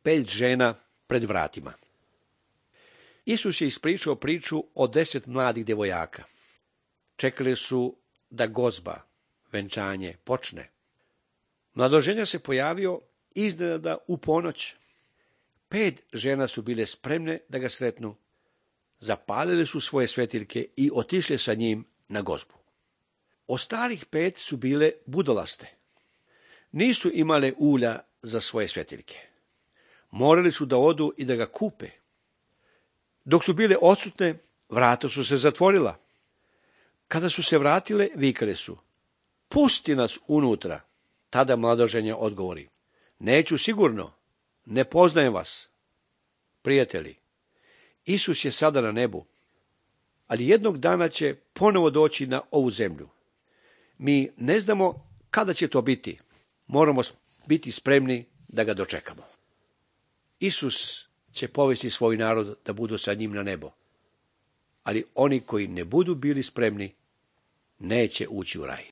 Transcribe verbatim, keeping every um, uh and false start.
pet žena pred vratima. Isus je ispričao priču o deset mladih djevojaka. Čekali su da gozba, venčanje, počne. Mladoženja se pojavio iznenada u ponoć. Pet žena su bile spremne da ga sretnu. Zapalili su svoje svetiljke i otišli sa njim na gozbu. Ostalih pet su bile budalaste. Nisu imale ulja za svoje svetiljke. Morali su da odu i da ga kupe. Dok su bile odsutne, vrata su se zatvorila. Kada su se vratile, vikale su: pusti nas unutra. Tada mladoženja odgovori: neću sigurno, ne poznajem vas. Prijatelji, Isus je sada na nebu, ali jednog dana će ponovo doći na ovu zemlju. Mi ne znamo kada će to biti. Moramo biti spremni da ga dočekamo. Isus će povesti svoj narod da budu sa njim na nebo, ali oni koji ne budu bili spremni neće ući u raj.